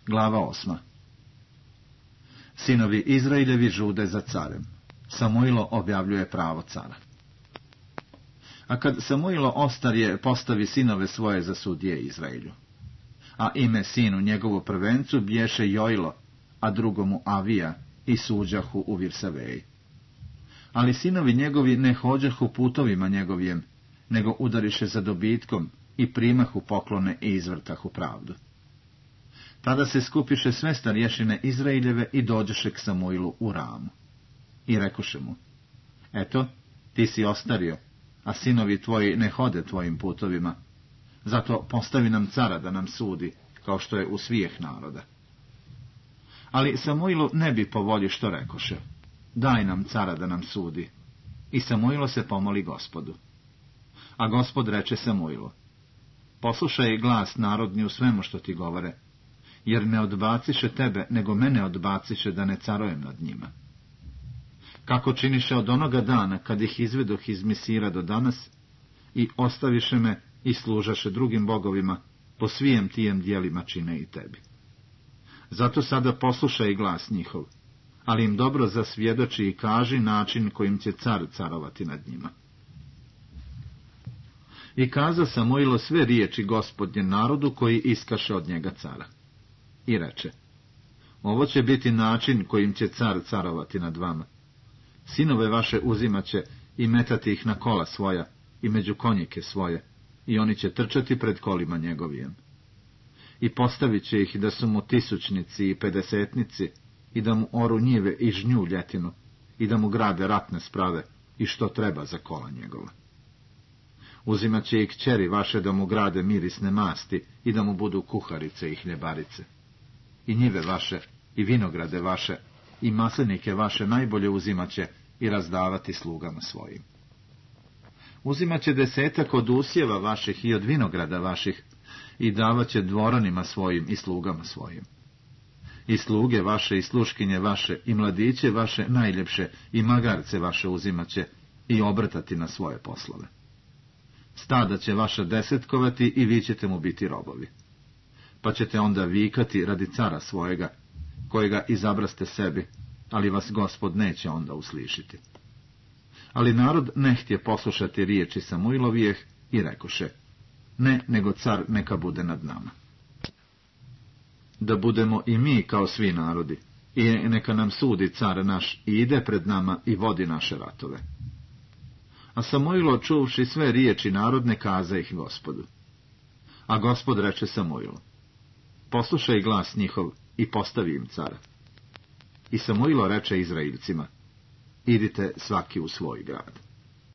Glava 8. Sinovi Izraeljevi žude za carem. Samuilo objavljuje pravo cara. A kad Samuilo ostarje, postavi sinove svoje za sudije Izraelju. A ime sinu njegovu prvencu bješe Jojlo, a drugomu Avija, i suđahu u Virsaveji. Ali sinovi njegovi ne hođahu putovima njegovijem, nego udariše za dobitkom i primahu poklone i izvrtahu pravdu. Tada se skupiše sve starješine Izraeljeve i dođeše k Samuilu u Ramu. I rekoše mu: eto, ti si ostario, a sinovi tvoji ne hode tvojim putovima, zato postavi nam cara da nam sudi, kao što je u svijeh naroda. Ali Samuilu ne bi po volji što rekoše: daj nam cara da nam sudi. I Samuilo se pomoli Gospodu. A Gospod reče Samuilu: poslušaj glas narodni u svemu što ti govore, jer ne odbaciše tebe, nego mene odbaciše da ne carujem nad njima. Kako činiše od onoga dana, kad ih izvedoh iz Misira do danas, i ostaviše me i služaše drugim bogovima, po svijem tijem dijelima čine i tebi. Zato sada poslušaj glas njihov, ali im dobro zasvjedoči i kaži način kojim će car carovati nad njima. I kaza Samuilo sve riječi Gospodnje narodu koji iskaše od njega cara. I reče: ovo će biti način kojim će car carovati nad vama. Sinove vaše uzimaće i metati ih na kola svoja i među konjike svoje, i oni će trčati pred kolima njegovijem. I postavit će ih da su mu tisućnici i pedesetnici, i da mu oru njive i žnju ljetinu, i da mu grade ratne sprave i što treba za kola njegova. Uzimat će i kćeri vaše da mu grade mirisne masti i da mu budu kuharice i hljebarice. I njive vaše, i vinograde vaše, i maslinike vaše najbolje uzimat će i razdavati slugama svojim. Uzimat će 10 od usjeva vaših i od vinograda vaših i davat će dvoranima svojim i slugama svojim. I sluge vaše i sluškinje vaše i mladiće vaše najljepše i magarce vaše uzimat će i obrtati na svoje poslove. Stada će vaša desetkovati i vi ćete mu biti robovi. Pa ćete onda vikati radi cara svojega, kojega izabraste sebi, ali vas Gospod neće onda uslišiti. Ali narod ne htje poslušati riječi Samuilovijeh i rekoše: ne, nego car neka bude nad nama. Da budemo i mi kao svi narodi, i neka nam sudi car naš i ide pred nama i vodi naše ratove. A Samuilo, čuvši sve riječi narodne, kaza ih Gospodu. A Gospod reče Samuilu: poslušaj glas njihov i postavi im cara. I Samuilo reče Izraeljcima: idite svaki u svoj grad.